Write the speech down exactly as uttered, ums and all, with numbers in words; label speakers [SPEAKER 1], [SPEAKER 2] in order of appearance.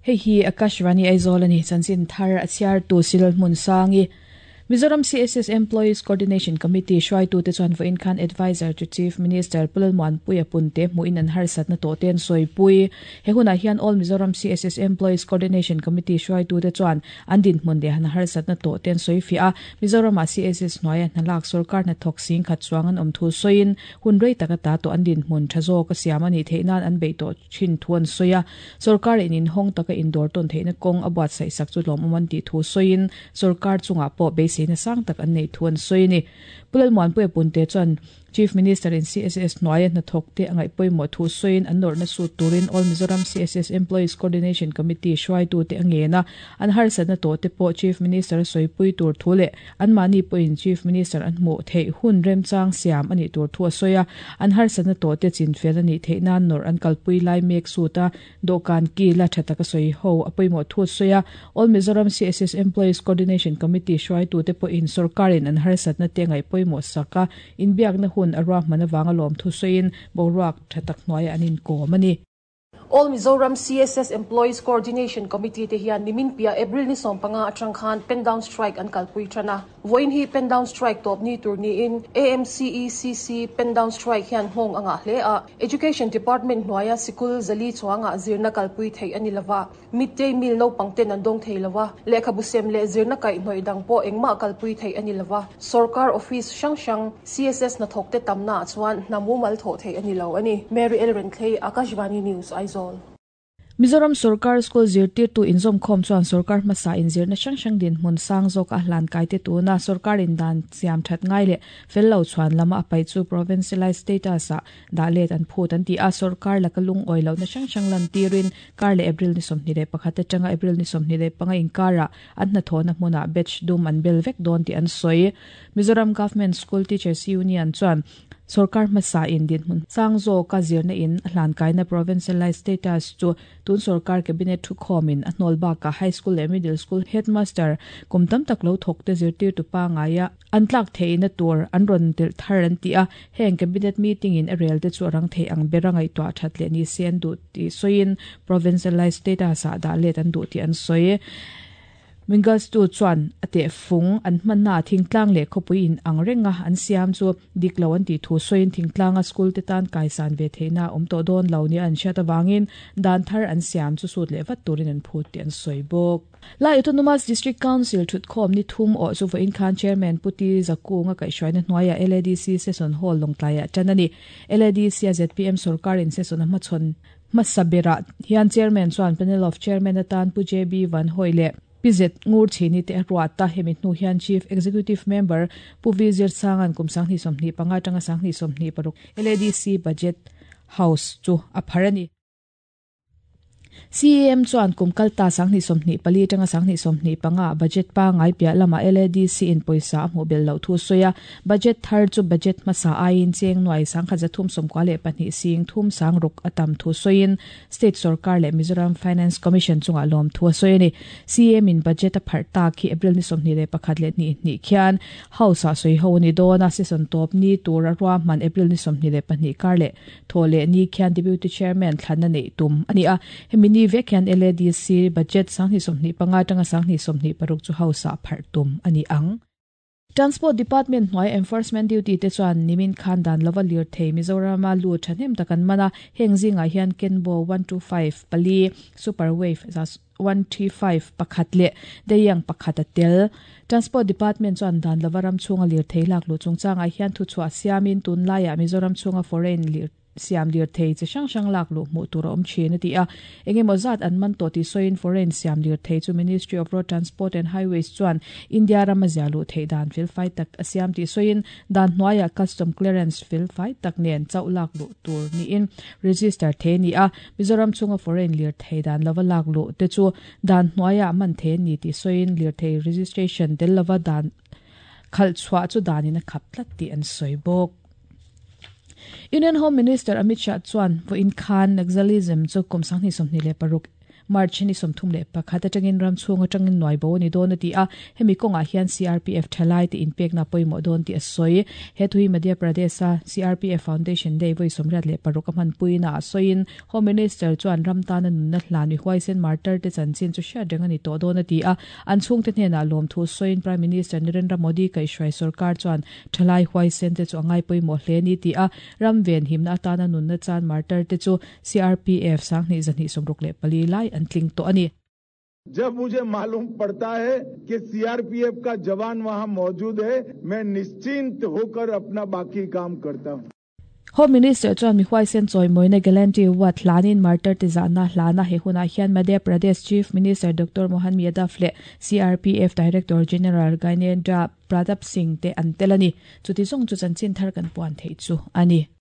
[SPEAKER 1] Hei hi Akashvani Aizawl ani chanchin thar a chhiar tu Silal Hmun Sangi. Mizoram C S S Employees Coordination Committee hruaitu te chuan vawiin khan Advisor to Chief Minister Pu Lalmuanpuia Punte hmuhin an harsatna tawh te an sawipui. He hunah hian All Mizoram C S S Employees Coordination Committee hruaitu te chuan an dinhmun leh an harsatna tawh te an sawi fiah a. Mizorama C S S hnuaia hnalak sorkar hnathawk sing khat chuang an awm thu sawiin hun rei taka ta tawh an dinhmun tha zawk a siam a nih theih nan an beih tawh thin thu an sawi a. Sorkar in inhawng taka indawr tawn theihna kawng a buatsaih sak chu lawmawm an tih thu sawiin sorkar chungah pawh beiseina sang tak an nei thu an sawi ni. Pu Lalmuanpuia Punte chuan Chief Minister in C S S hnuaia hnathawk te a ngaih pawimawh thu sawiin an nawrhna sut turin All Mizoram C S S Employees Coordination Committee hruaitu te a ngen a. An harsatna tawh te pawh Chief Minister a sawipui tur thu leh anmahni pawhin Chief Minister an hmuh theih hun remchang siam a nih tur thu a sawi a. An harsatna tawh te chinfel a nih theih nan nawrh an kalpui lai mek sut a dawhkan kila tha taka sawi ho a pawimawh thu a sawi a. All Mizoram C S S Employees Coordination Committee hruaitu te pawhin sorkarin an harsatna te ngaih pawimawh sak a inbiakna hun a ruahman awanga lawm thu sawiin boruak tha tak hnuaiah an inkawm a ni.
[SPEAKER 2] All Mizoram C S S Employees Coordination Committee te hian nimin pia April ni sawm panga atang khan pen down strike an kalpui thana. Voin hi pen down strike top ni tur ni in A M C E C C pen down strike hian hmong anga hle a. Education Department hnuaia sikul zali chuanga zirna kalpui thei ani lova, midday meal no pangten an dong thei lova, lehkhabu sem le zirna kai hnoi dang po engma kalpui thei ani lova, sarkar office hrang hrang C S S na thok te tamna chuan namu mal tho thei ani lo ani. Mary El Renthlei, Akashvani News, Aizawl.
[SPEAKER 1] Mizoram Sarkar School zirtirtu inzawm khawm chuan sarkar hmasa inzirna hrang hrang dinhmun sang zawk a hlan kai te tuna sarkar in dan siam that ngai leh fel lo chuan lama a pai chu provincialized status a dah let an phut an ti a. Sarkar laka lung oi lo na hrang hrang lan tirin kar leh April ni sawmhnih leh pakhat atanga April ni sawmhnih leh panga inkara an hnathawhna hmuna badge dum an bel vek dawn tih an sawi. Mizoram Government School Teachers Union chuan sarkar hmasa in dinhmun sang zawk a zirna in a hlan kaina provincialized status chu tun sarkar cabinet thu khawmin a hnawl baka high school leh middle school headmaster kum tam tak lo thawk te zirtir tu pa ngaia an tlak theihna tur an rawn tel thar an ti a. Heng cabinet meeting in a rel te chu rang thei ang bera ngai to that le ni se an du ti soin provincialized status a dah let an du ti an soi. Mingas tu chuan ate fung an hmanna thingtlang leh khawpui in ang renga an siam chu diklo an ti thu soin thingtlanga school te tan kaisan ve theina awm tawh dawn lo ni an hriat awangin dan thar an siam chu sut leh vat turin an phut ti an sawi bawk. Lai Autonomous District Council thut khawm ni thum aw chu vawiin khan Chairman Puti Zakunga kaihhruaina hnuaia L A D C Session Hall Lawngtlaiah tan a ni. L A D C a Z P M sarkar in session a hmachhawn hmasa hian Chairman chuan Panel of Chairman atan Pu J B Van Hoi leh P Z Ngur Chini te ruata. Hemi hnu hian Chief Executive Member Pu V Zir Sangan kum sanghnih sawmhnih panga tanga sanghnih sawmhnih paruk L A D C Budget House chu a phar ani. C M chuan kum kalta sanghnih sawmhnih pali tanga sanghnih sawmhnih panga budget pa ngai pia lama L A D C in poisa a hmu bel lo thu soya. Budget thar chu budget masa aiin cheng nuai sangkha zathum somkwa le pahnih sing thum sang ruk atam thu soin state sarkar le Mizoram Finance Commission chunga lom thu soini. C M in budget a phar ta khi April ni sawmhnih le pakhat le ni ni khian house a soi ho ni dona. Session top ni tur a man April ni sawmhnih le pahnih kar le thole ni khian Deputy Chairman thlanna nei tum ani a. Hemi ni vek hian L A D C budget sanghnih sawmhnih panga tanga sanghnih sawmhnih paruk chu house a phar tum ani ang. Transport Department hnuai enforcement duty te chuan nimin khan dan lova lir thei Mizorama lu thahnem takan mana. Heng zinga hian Kenbo one two five pali, Superwave one three five pakhat le Deyang pakhat a tel. Transport Department chuan dan lova ram chunga lir thei lak lu chungchanga hian thu chhuah siamin tun laia Mizoram chunga foreign lir siam lir thei che hrang hrang lak lu hmuh tur a awm thin a ti a. Engemaw zat an man tawh ti sawiin foreign siam lir thei chu Ministry of Road Transport and Highways chuan India rama zia lu thei dan fel fai tak a siam ti sawiin dan hnuaiah custom clearance fel fai tak nen chauh lak lu tur niin register the ni a. Mizoram chunga foreign lir thei dan lova lak lu te chu dan hnuaiah man the ni ti sawiin lir thei registration tel lova dan khal chhuah chu danin a khap tlat ti an sawi bawk. Union Home Minister Amit Shah chuan vawiin khan Naxalism chu kum sanghnih sawmhnih leh paruk March ni sawmthum leh pakhat atangin ram chhung atangin nuai bo ni dawn a ti a hemi kawngah hian C R P F thalai te inpekna pawimawh dawn tih a sawi. He thui Madhya Pradesh a C R P F Foundation Day voi sawmriat leh paruk a hmanpuina a sawiin Home Minister chuan ram tana nunna hlan mi huaisen martyr te chanchin chu hriat reng ani tawh dawn a ti a. An chhungte hnenah lawm thu sawiin Prime Minister Narendra Modi kaihhruai sarkar chuan thalai huaisen te chu angai pawimawh hle ni ti a. Ram ven himna atana nunna chan martyr te chu C R P F sanghnih zahnih sawmruk leh pali lai an tling tawh ani.
[SPEAKER 3] जब मुझे मालूम पड़ता है कि C R P F का जवान वहां मौजूद है, मैं निश्चिंत होकर अपना बाकी काम करता हूं।
[SPEAKER 1] Home Minister chuan mi huaisen chawimawina Gallantry Award hlanin martyr te zahna hlana. He hunah hian Madhya Pradesh Chief Minister Doctor Mohan Yadav leh C R P F Director General Gyanendra Pratap Singh te an tel ani. Chuti zawng chu chanchin thar kan puan thei chu ani.